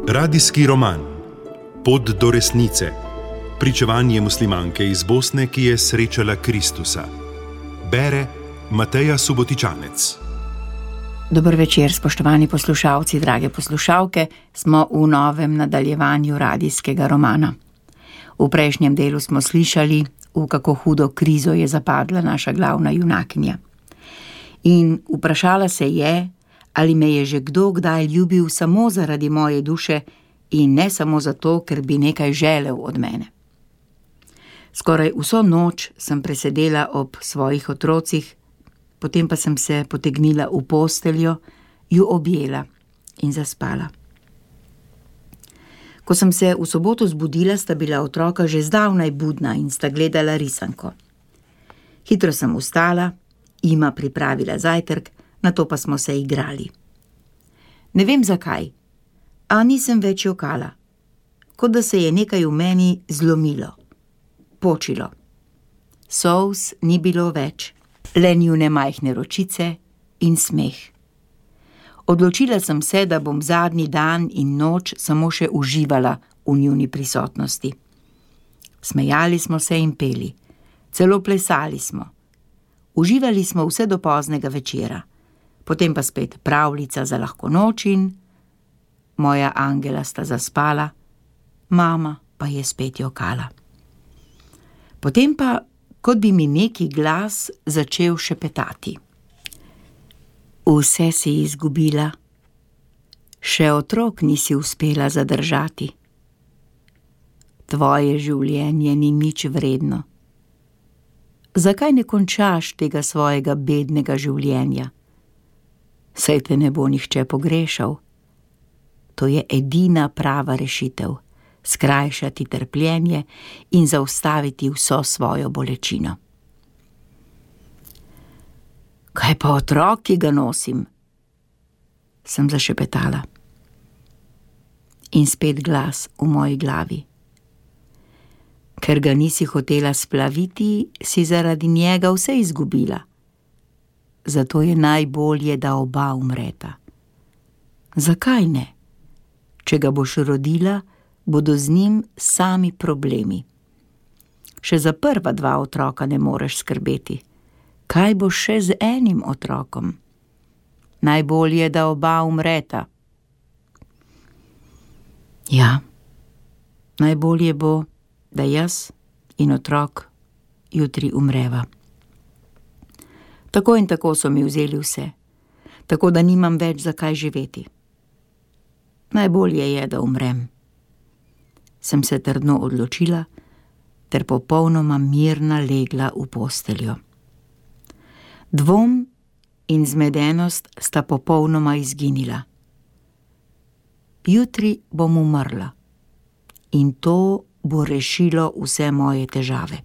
Radijski roman Pot do resnice. Pričevanje muslimanke iz Bosne, ki je srečala Kristusa. Bere Mateja Subotičanec. Dober večer, spoštovani poslušalci, drage poslušalke. Smo v novem nadaljevanju radijskega romana. V prejšnjem delu smo slišali, v kako hudo krizo je zapadla naša glavna junakinja. In vprašala se je, ali me je že kdo kdaj ljubil samo zaradi moje duše in ne samo zato, ker bi nekaj želel od mene. Skoraj vso noč sem presedela ob svojih otrocih, potem pa sem se potegnila v posteljo, ju objela in zaspala. Ko sem se v soboto zbudila, sta bila otroka že zdavnaj budna in sta gledala risanko. Hitro sem vstala, jima pripravila zajtrk, nato pa smo se igrali. Ne vem zakaj, a nisem več jokala, kot da se je nekaj v meni zlomilo, počilo. Solz ni bilo več, le njune majhne ročice in smeh. Odločila sem se, da bom zadnji dan in noč samo še uživala v njuni prisotnosti. Smejali smo se in peli, celo plesali smo. Uživali smo vse do poznega večera, potem pa spet pravljica za lahko noč in moja angela sta zaspala, mama pa je spet jokala. Potem pa, kot bi mi neki glas začel šepetati. Vse si izgubila, še otrok nisi uspela zadržati. Tvoje življenje ni nič vredno. Zakaj ne končaš tega svojega bednega življenja? Saj te ne bo nihče pogrešal. To je edina prava rešitev, skrajšati trpljenje in zaustaviti vso svojo bolečino. Kaj pa otrok, ki ga nosim? Sem zašepetala. In spet glas v moji glavi. Ker ga nisi hotela splaviti, si zaradi njega vse izgubila. Zato je najbolje, da oba umreta. Zakaj ne? Če ga boš rodila, bodo z njim sami problemi. Še za prva dva otroka ne moreš skrbeti. Kaj boš še z enim otrokom? Najbolje, da oba umreta. Ja, najbolje bo, da jaz in otrok jutri umreva. Tako in tako so mi vzeli vse, tako da nimam več za kaj živeti. Najbolje je, da umrem. Sem se trdno odločila, ter popolnoma mirna legla v posteljo. Dvom in zmedenost sta popolnoma izginila. Jutri bom umrla in to bo rešilo vse moje težave.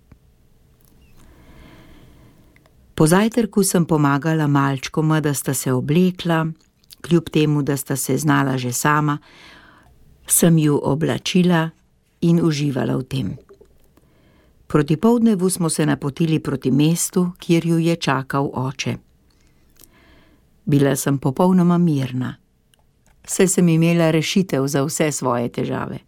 Po zajtrku sem pomagala malčkoma, da sta se oblekla, kljub temu, da sta se znala že sama, sem ju oblačila in uživala v tem. Proti poldnevu smo se napotili proti mestu, kjer ju je čakal oče. Bila sem popolnoma mirna, saj sem imela rešitev za vse svoje težave.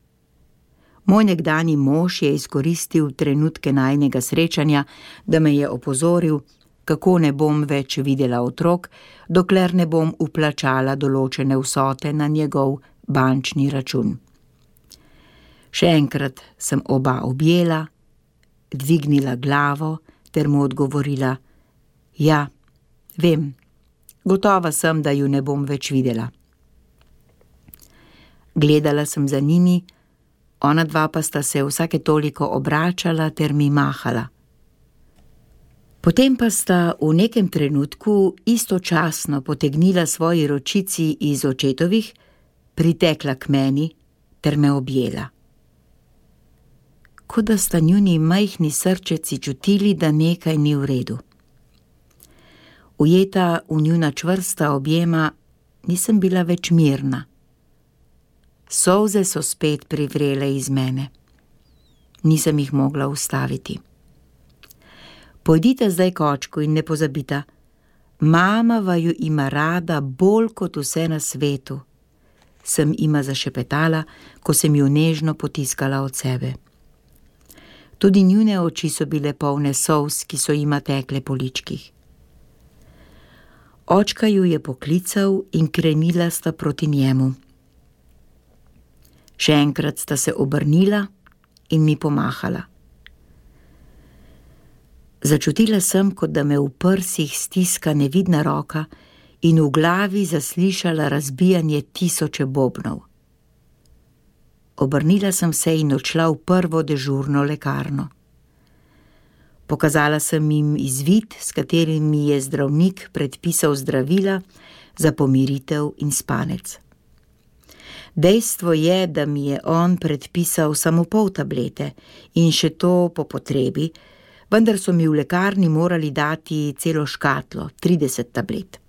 Moj nekdanji mož je izkoristil trenutke najinega srečanja, da me je opozoril, kako ne bom več videla otrok, dokler ne bom vplačala določene vsote na njegov bančni račun. Še enkrat sem oba objela, dvignila glavo ter mu odgovorila: ja, vem, gotova sem, da ju ne bom več videla. Gledala sem za njimi, ona dva pa sta se vsake toliko obračala ter mi mahala. Potem pa sta v nekem trenutku istočasno potegnila svoji ročici iz očetovih, pritekla k meni ter me objela. Kot da sta njuni majhni srčeci čutili, da nekaj ni v redu. Ujeta v njuna čvrsta objema, nisem bila več mirna. Solze so spet privrele iz mene. Nisem jih mogla ustaviti. Pojdite zdaj k očku in ne pozabita, Mama vaju ima rada bolj kot vse na svetu, sem ima zašepetala, ko sem ju nežno potiskala od sebe. Tudi njune oči so bile polne solz, ki so jima tekle po ličkih. Očka ju je poklical in krenila sta proti njemu. Še enkrat sta se obrnila in mi pomahala. Začutila sem, kot da me v prsih stiska nevidna roka in v glavi zaslišala razbijanje tisoče bobnov. Obrnila sem se in odšla v prvo dežurno lekarno. Pokazala sem jim izvid, s katerim mi je zdravnik predpisal zdravila za pomiritev in spanec. Dejstvo je, da mi je on predpisal samo pol tablete in še to po potrebi, vendar so mi v lekarni morali dati celo škatlo, 30 tablet.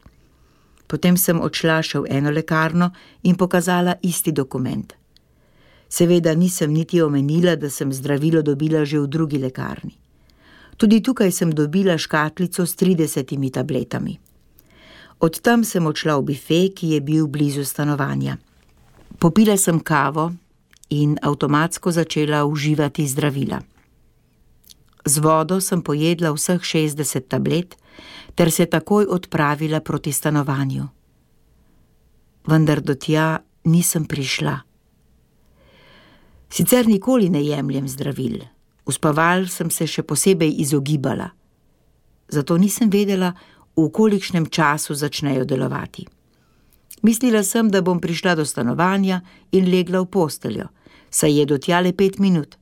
Potem sem odšla še v eno lekarno in pokazala isti dokument. Seveda nisem niti omenila, da sem zdravilo dobila že v drugi lekarni. Tudi tukaj sem dobila škatlico s 30 tabletami. Od tam sem odšla v bife, ki je bil blizu stanovanja. Popila sem kavo in avtomatsko začela uživati zdravila. Z vodo sem pojedla vseh 60 tablet ter se takoj odpravila proti stanovanju. Vendar do tja nisem prišla. Sicer nikoli ne jemljem zdravil. Uspaval sem se še posebej izogibala. Zato nisem vedela, v kolikšnem času začnejo delovati. Mislila sem, da bom prišla do stanovanja in legla v posteljo, saj je do tja le 5 minut.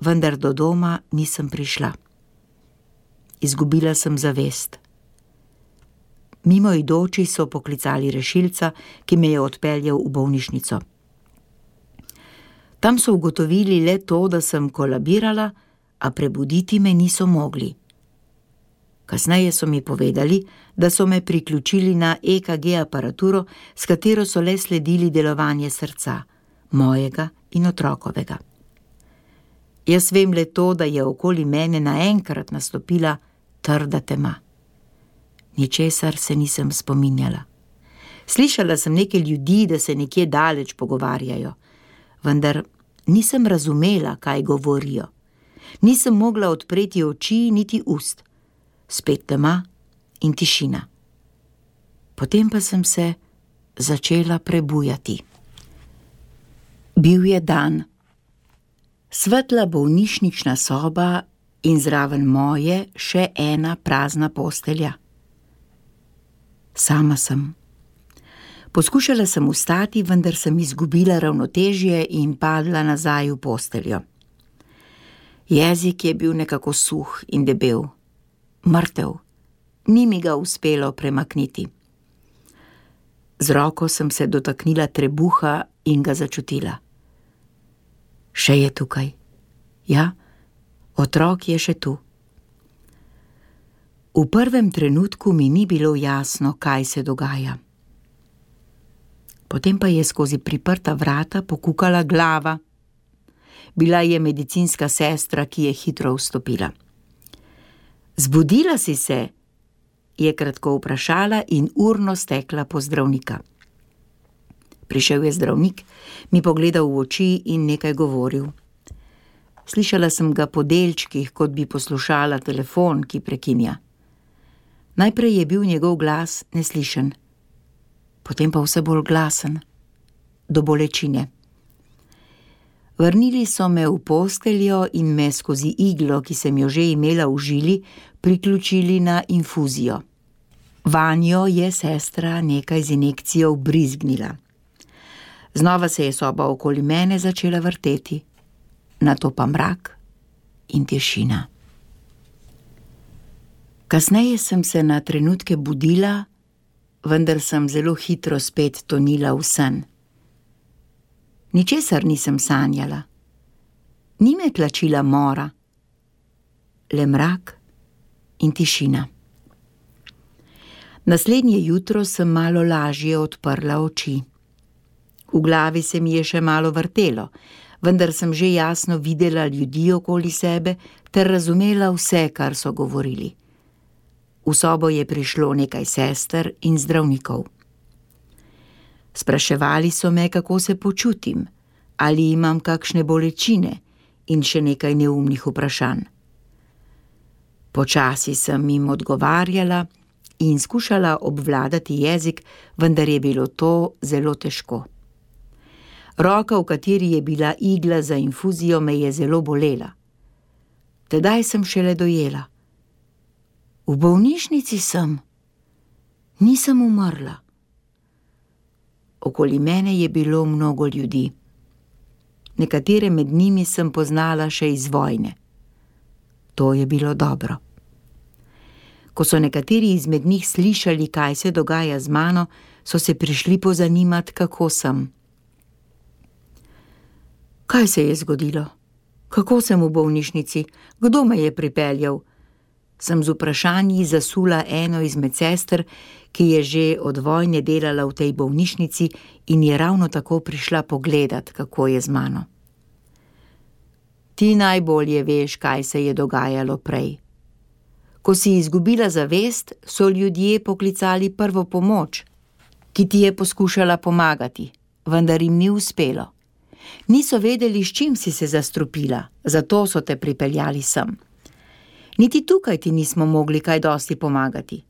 Vendar do doma nisem prišla. Izgubila sem zavest. Mimoidoči so poklicali rešilca, ki me je odpeljal v bolnišnico. Tam so ugotovili le to, da sem kolabirala, a prebuditi me niso mogli. Kasneje so mi povedali, da so me priključili na EKG aparaturo, s katero so le sledili delovanje srca, mojega in otrokovega. Jaz vem le to, da je okoli mene naenkrat nastopila trda tema. Ničesar se nisem spominjala. Slišala sem neke ljudi, da se nekje daleč pogovarjajo, vendar nisem razumela, kaj govorijo. Nisem mogla odpreti oči niti ust. Spet tema in tišina. Potem pa sem se začela prebujati. Bil je dan. Svetla bolnišnična soba in zraven moje še ena prazna postelja. Sama sem. Poskušala sem vstati, vendar sem izgubila ravnotežje in padla nazaj v posteljo. Jezik je bil nekako suh in debel. Mrtev. Ni mi ga uspelo premakniti. Z roko sem se dotaknila trebuha in ga začutila. Še je tukaj. Ja, otrok je še tu. V prvem trenutku mi ni bilo jasno, kaj se dogaja. Potem pa je skozi priprta vrata pokukala glava. Bila je medicinska sestra, ki je hitro vstopila. Zbudila si se? Je kratko vprašala in urno stekla po zdravnika. Prišel je zdravnik, mi pogledal v oči in nekaj govoril. Slišala sem ga po delčkih, kot bi poslušala telefon, ki prekinja. Najprej je bil njegov glas neslišen, potem pa vse bolj glasen, do bolečine. Vrnili so me v posteljo in me skozi iglo, ki sem jo že imela v žili, priključili na infuzijo. Vanjo je sestra nekaj z injekcijo vbrizgnila. Znova se je soba okoli mene začela vrteti, nato pa mrak in tišina. Kasneje sem se na trenutke budila, vendar sem zelo hitro spet tonila v sen. Ničesar nisem sanjala. Ni me tlačila mora, le mrak in tišina. Naslednje jutro sem malo lažje odprla oči. V glavi se mi je še malo vrtelo, vendar sem že jasno videla ljudi okoli sebe ter razumela vse, kar so govorili. V sobo je prišlo nekaj sester in zdravnikov. Spraševali so me, kako se počutim, ali imam kakšne bolečine in še nekaj neumnih vprašanj. Počasi sem jim odgovarjala in skušala obvladati jezik, vendar je bilo to zelo težko. Roka, v kateri je bila igla za infuzijo, me je zelo bolela. Tedaj sem šele dojela. V bolnišnici sem. Nisem umrla. Okoli mene je bilo mnogo ljudi. Nekatere med njimi sem poznala še iz vojne. To je bilo dobro. Ko so nekateri izmed njih slišali, kaj se dogaja z mano, so se prišli pozanimati, kako sem. Kaj se je zgodilo? Kako sem v bolnišnici? Kdo me je pripeljal? Sem z vprašanji zasula eno izmed sester, ki je že od vojne delala v tej bolnišnici in je ravno tako prišla pogledat, kako je z mano. Ti najbolje veš, kaj se je dogajalo prej. Ko si izgubila zavest, so ljudje poklicali prvo pomoč, ki ti je poskušala pomagati, vendar jim ni uspelo. Niso vedeli, s čim si se zastrupila, zato so te pripeljali sem. Niti tukaj ti nismo mogli kaj dosti pomagati.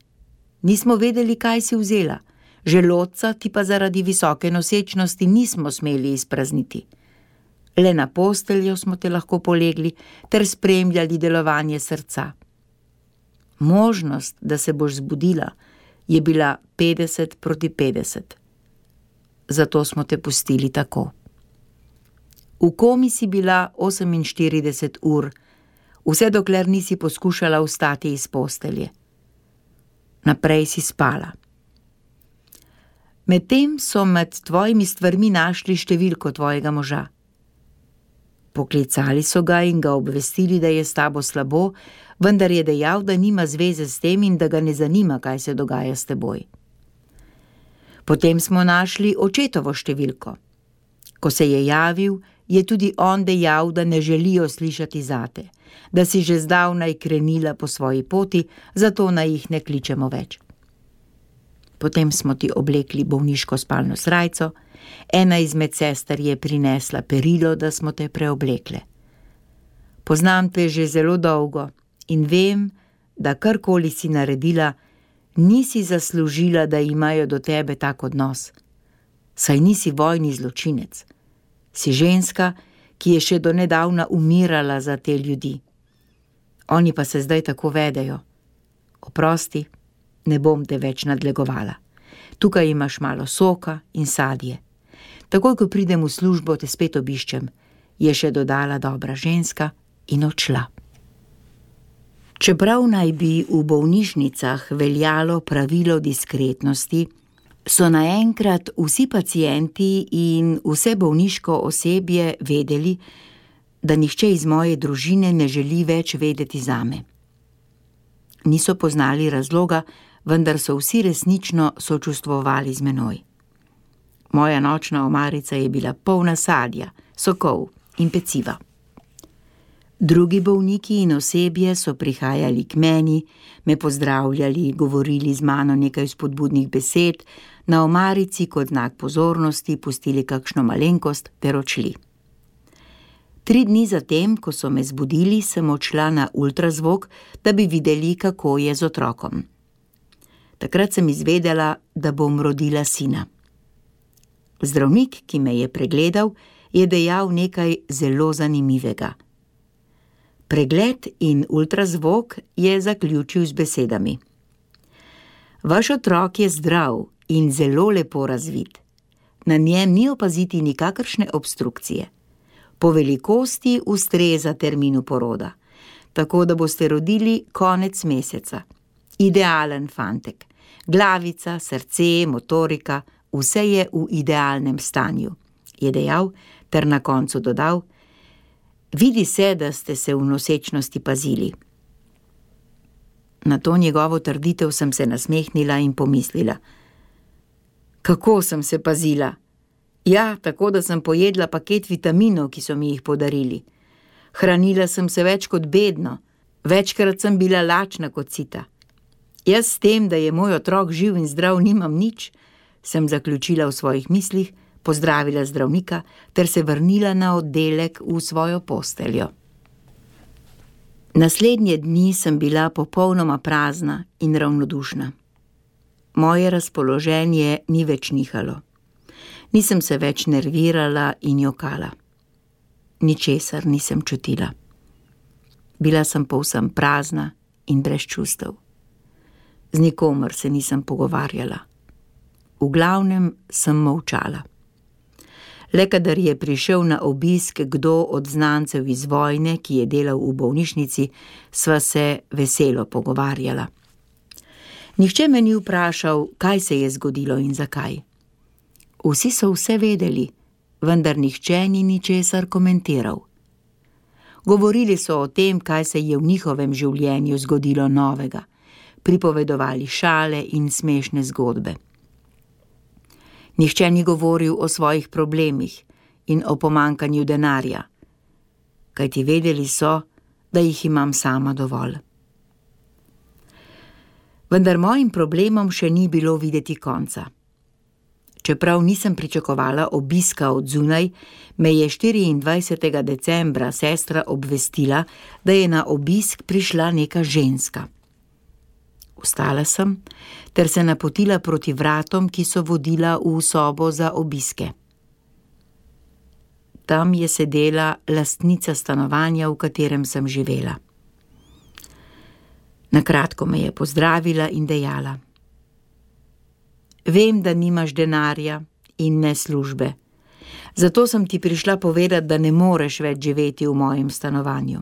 Nismo vedeli, kaj si vzela, želodca ti pa zaradi visoke nosečnosti nismo smeli izprazniti. Le na posteljo smo te lahko polegli ter spremljali delovanje srca. Možnost, da se boš zbudila, je bila 50-50. Zato smo te pustili tako. V komi si bila 48 ur, vse dokler nisi poskušala vstati iz postelje. Naprej si spala. Medtem so med tvojimi stvarmi našli številko tvojega moža. Poklicali so ga in ga obvestili, da je s tabo slabo, vendar je dejal, da nima zveze s tem in da ga ne zanima, kaj se dogaja s teboj. Potem smo našli očetovo številko. Ko se je javil, je tudi on dejal, da ne želijo slišati zate, da si že zdavnaj krenila po svoji poti, zato naj jih ne kličemo več. Potem smo ti oblekli bolniško spalno srajco, ena izmed sester je prinesla perilo, da smo te preoblekle. Poznam te že zelo dolgo in vem, da karkoli si naredila, nisi zaslužila, da imajo do tebe tak odnos. Saj nisi vojni zločinec. Si ženska, ki je še do nedavna umirala za te ljudi. Oni pa se zdaj tako vedejo. Oprosti, ne bom te več nadlegovala. Tukaj imaš malo soka in sadje. Takoj, ko pridem v službo, te spet obiščem, je še dodala dobra ženska in odšla. Čeprav naj bi v bolnišnicah veljalo pravilo diskretnosti, so naenkrat vsi pacienti in vse bolniško osebje vedeli, da nihče iz moje družine ne želi več vedeti zame. Niso poznali razloga, vendar so vsi resnično sočustvovali z menoj. Moja nočna omarica je bila polna sadja, sokov in peciva. Drugi bolniki in osebje so prihajali k meni, me pozdravljali, govorili z mano nekaj spodbudnih besed, na omarici kot znak pozornosti pustili kakšno malenkost ter odšli. 3 dni zatem, ko so me zbudili, sem odšla na ultrazvok, da bi videli, kako je z otrokom. Takrat sem izvedela, da bom rodila sina. Zdravnik, ki me je pregledal, je dejal nekaj zelo zanimivega. Pregled in ultrazvok je zaključil z besedami. Vaš otrok je zdrav in zelo lepo razvit. Na njem ni opaziti nikakršne obstrukcije. Po velikosti ustreza terminu poroda, tako da boste rodili konec meseca. Idealen fantek. Glavica, srce, motorika, vse je v idealnem stanju, je dejal ter na koncu dodal: Vidi se, da ste se v nosečnosti pazili. Na to njegovo trditev sem se nasmehnila in pomislila. Kako sem se pazila? Ja, tako da sem pojedla paket vitaminov, ki so mi jih podarili. Hranila sem se več kot bedno, večkrat sem bila lačna kot sita. Jaz s tem, da je moj otrok živ in zdrav, nimam nič, sem zaključila v svojih mislih, pozdravila zdravnika ter se vrnila na oddelek v svojo posteljo. Naslednje dni sem bila popolnoma prazna in ravnodušna. Moje razpoloženje ni več nihalo. Nisem se več nervirala in jokala. Ničesar nisem čutila. Bila sem povsem prazna in brez čustev. Z nikomer se nisem pogovarjala. V glavnem sem molčala. Le kadar je prišel na obisk kdo od znancev iz vojne, ki je delal v bolnišnici, sva se veselo pogovarjala. Nihče me ni vprašal, kaj se je zgodilo in zakaj. Vsi so vse vedeli, vendar nihče ni ničesar komentiral. Govorili so o tem, kaj se je v njihovem življenju zgodilo novega, pripovedovali šale in smešne zgodbe. Nihče ni govoril o svojih problemih in o pomanjkanju denarja, kajti vedeli so, da jih imam sama dovolj. Vendar mojim problemom še ni bilo videti konca. Čeprav nisem pričakovala obiska od zunaj, me je 24. decembra sestra obvestila, da je na obisk prišla neka ženska. Vstala sem ter se napotila proti vratom, ki so vodila v sobo za obiske. Tam je sedela lastnica stanovanja, v katerem sem živela. Na kratko me je pozdravila in dejala: Vem, da nimaš denarja in ne službe, zato sem ti prišla povedati, da ne moreš več živeti v mojem stanovanju.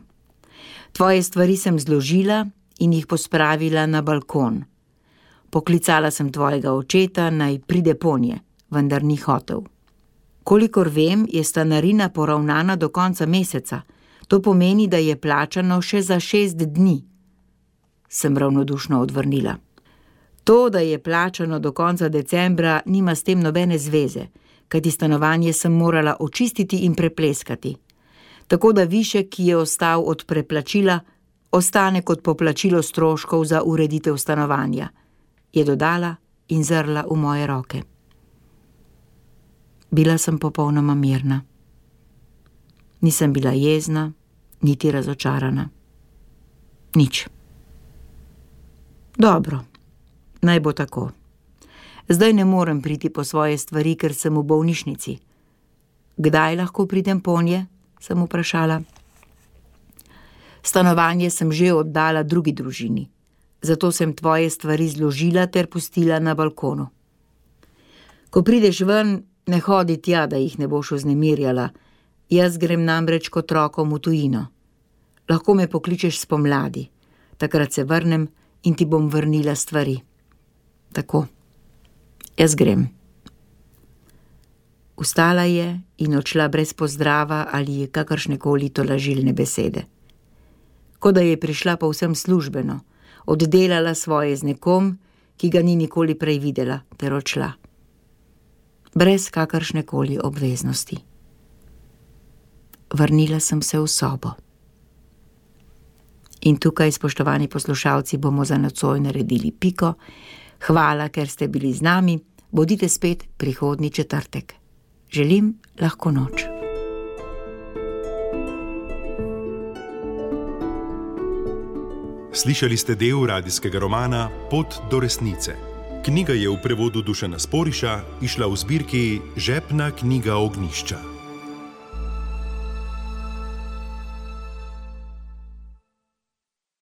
Tvoje stvari sem zložila in jih pospravila na balkon. Poklicala sem tvojega očeta, naj pride ponje, vendar ni hotel. Kolikor vem, je stanarina poravnana do konca meseca. To pomeni, da je plačano še za 6 dni. Sem ravnodušno odvrnila. To, da je plačano do konca decembra, nima s tem nobene zveze, kajti stanovanje sem morala očistiti in prepleskati. Tako da višek, ki je ostal od preplačila, ostane kot poplačilo stroškov za ureditev stanovanja, je dodala in zrla v moje roke. Bila sem popolnoma mirna. Nisem bila jezna, niti razočarana. Nič. Dobro, naj bo tako. Zdaj ne morem priti po svoje stvari, ker sem v bolnišnici. Kdaj lahko pridem ponje? Sem vprašala. Stanovanje sem že oddala drugi družini, zato sem tvoje stvari zložila ter pustila na balkonu. Ko prideš ven, ne hodi tja, da jih ne boš vznemirjala. Jaz grem namreč k otrokom v tujino. Lahko me pokličeš spomladi. Takrat se vrnem in ti bom vrnila stvari. Tako. Jaz grem. Vstala je in odšla brez pozdrava ali kakršnekoli tolažilne besede. Kot da je prišla povsem službeno, oddelala svoje z nekom, ki ga ni nikoli prej videla, ter odšla. Brez kakršnekoli obveznosti. Vrnila sem se v sobo. In tukaj, spoštovani poslušalci, bomo za nocoj naredili piko. Hvala, ker ste bili z nami. Bodite spet prihodnji četrtek. Želim lahko noč. Slišali ste del radijskega romana Pot do resnice. Knjiga je v prevodu Dušana Sporiša izšla v zbirki Žepna knjiga Ognjišča.